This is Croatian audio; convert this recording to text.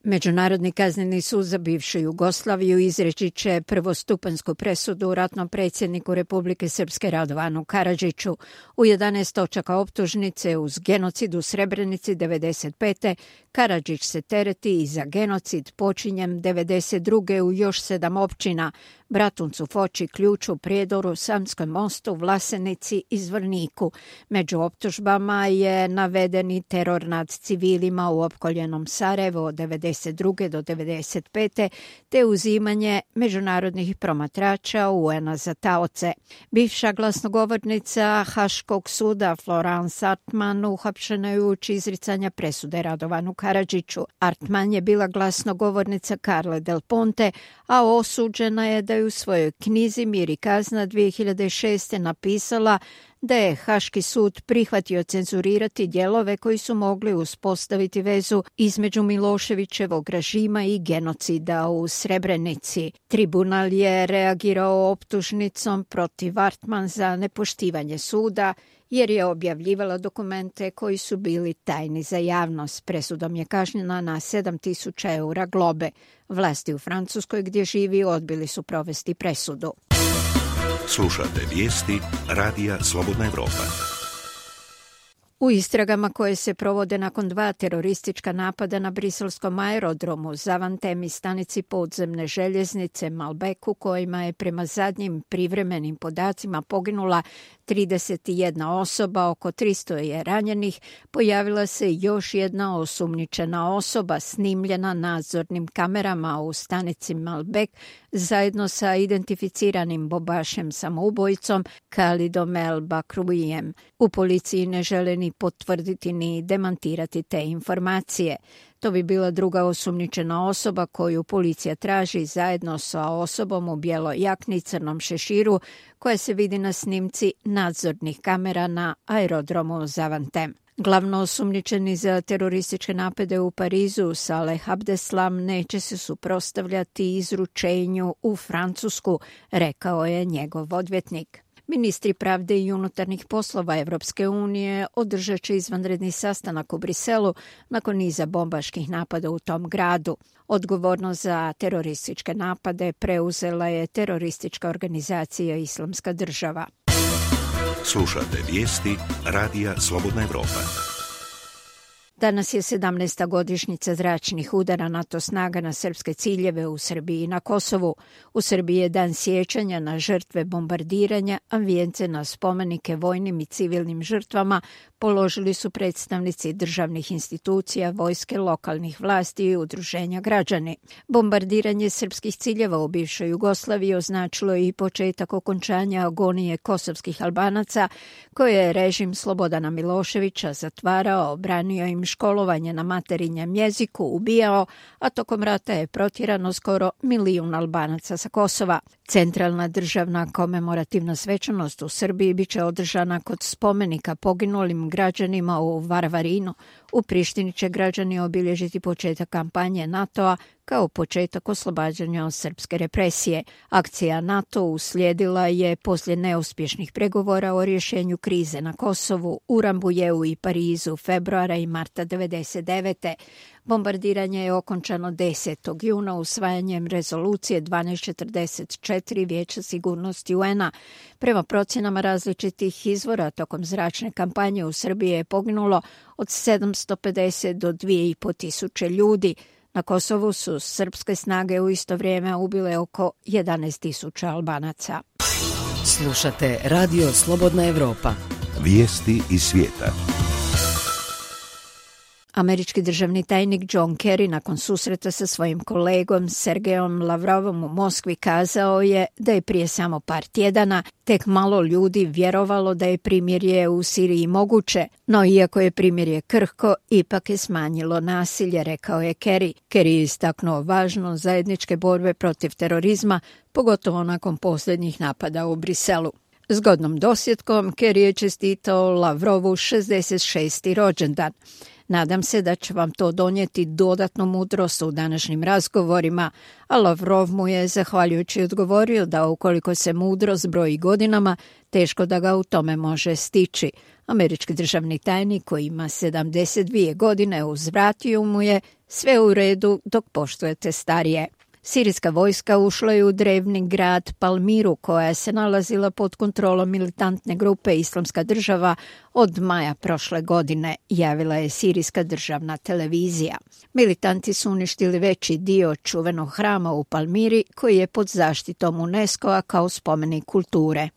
Međunarodni kazneni sud za bivšu Jugoslaviju izreći će prvostupanjsku presudu ratnom predsjedniku Republike Srpske Radovanu Karadžiću u 11 točaka optužnice uz genocid u Srebrenici 1995. Karadžić se tereti i za genocid počinjen 1992. u još 7 općina: Bratuncu, Foči, Ključu, Prijedoru, Samskom Mostu, Vlasenici i Zvorniku. Među optužbama je navedeni teror nad civilima u opkoljenom Sarajevu od 1992. do 1995. te uzimanje međunarodnih promatrača UN-a za taoce. Bivša glasnogovornica Haškog suda Florence Artman uhapšena je uoči izricanja presude Radovanu Karadžiću. Artman je bila glasnogovornica Carle Del Ponte, a osuđena je da je u svojoj knjizi Mir i kazna 2006. napisala da je Haški sud prihvatio cenzurirati dijelove koji su mogli uspostaviti vezu između Miloševićevog režima i genocida u Srebrenici. Tribunal je reagirao optužnicom protiv Artman za nepoštivanje suda jer je objavljivala dokumente koji su bili tajni za javnost. Presudom je kažnjena na 7.000 eura globe. Vlasti u Francuskoj gdje živi odbili su provesti presudu. Slušate vijesti Radija Slobodna Evropa. U istragama koje se provode nakon 2 teroristička napada na briselskom aerodromu, Zavantem i stanici podzemne željeznice Malbeku, kojima je prema zadnjim privremenim podacima poginula 31 osoba, oko 300 je ranjenih, pojavila se još jedna osumnjičena osoba snimljena nadzornim kamerama u stanici Malbek zajedno sa identificiranim bombašem samoubojicom Khalidom El Bakrouijem. U policiji ne žele ni potvrditi ni demantirati te informacije. To bi bila druga osumnjičena osoba koju policija traži zajedno sa osobom u bijeloj jakni i crnom šeširu koja se vidi na snimci nadzornih kamera na aerodromu Zavantem. Glavno osumnjičeni za terorističke napade u Parizu, Saleh Abdeslam, neće se suprotstavljati izručenju u Francusku, rekao je njegov odvjetnik. Ministri pravde i unutarnjih poslova Evropske unije održat će izvanredni sastanak u Briselu nakon niza bombaških napada u tom gradu. Odgovornost za terorističke napade preuzela je teroristička organizacija Islamska država. Slušate vijesti Radija Slobodna Evropa. Danas je 17. godišnjica zračnih udara NATO snaga na srpske ciljeve u Srbiji i na Kosovu. U Srbiji je dan sjećanja na žrtve bombardiranja, a vijence na spomenike vojnim i civilnim žrtvama položili su predstavnici državnih institucija, vojske, lokalnih vlasti i udruženja građani. Bombardiranje srpskih ciljeva u bivšoj Jugoslaviji označilo je i početak okončanja agonije kosovskih Albanaca, koje je režim Slobodana Miloševića zatvarao, branio im školovanje na materinjem jeziku, ubijao, a tokom rata je protjerano skoro 1 milijun Albanaca sa Kosova. Centralna državna komemorativna svečanost u Srbiji biće održana kod spomenika poginulim građanima u Varvarinu. U Prištini će građani obilježiti početak kampanje NATO-a kao početak oslobađanja od srpske represije. Akcija NATO uslijedila je poslije neuspješnih pregovora o rješenju krize na Kosovu, u Rambujeu i Parizu februara i marta 1999. Bombardiranje je okončano 10. juna usvajanjem rezolucije 1244 Vijeća sigurnosti UN-a. Prema procjenama različitih izvora, tokom zračne kampanje u Srbiji je poginulo od 750 do 2500 ljudi. Na Kosovu su srpske snage u isto vrijeme ubile oko 11.000 Albanaca. Slušate Radio Slobodna Evropa. Vijesti iz svijeta. Američki državni tajnik John Kerry nakon susreta sa svojim kolegom Sergejom Lavrovom u Moskvi kazao je da je prije samo par tjedana tek malo ljudi vjerovalo da je primirje u Siriji moguće, no iako je primirje krhko, ipak je smanjilo nasilje, rekao je Kerry. Kerry je istaknuo važnost zajedničke borbe protiv terorizma, pogotovo nakon posljednjih napada u Briselu. Zgodnom dosjetkom Kerry je čestitao Lavrovu 66. rođendan. Nadam se da će vam to donijeti dodatnu mudrost u današnjim razgovorima, a Lavrov mu je zahvaljujući odgovorio da ukoliko se mudrost broji godinama, teško da ga u tome može stići. Američki državni tajnik koji ima 72 godine uzvratio mu je Sve u redu dok poštujete starije. Sirijska vojska ušla je u drevni grad Palmiru, koja se nalazila pod kontrolom militantne grupe Islamska država od maja prošle godine, javila je sirijska državna televizija. Militanti su uništili veći dio čuvenog hrama u Palmiri, koji je pod zaštitom UNESCO-a kao spomenik kulture.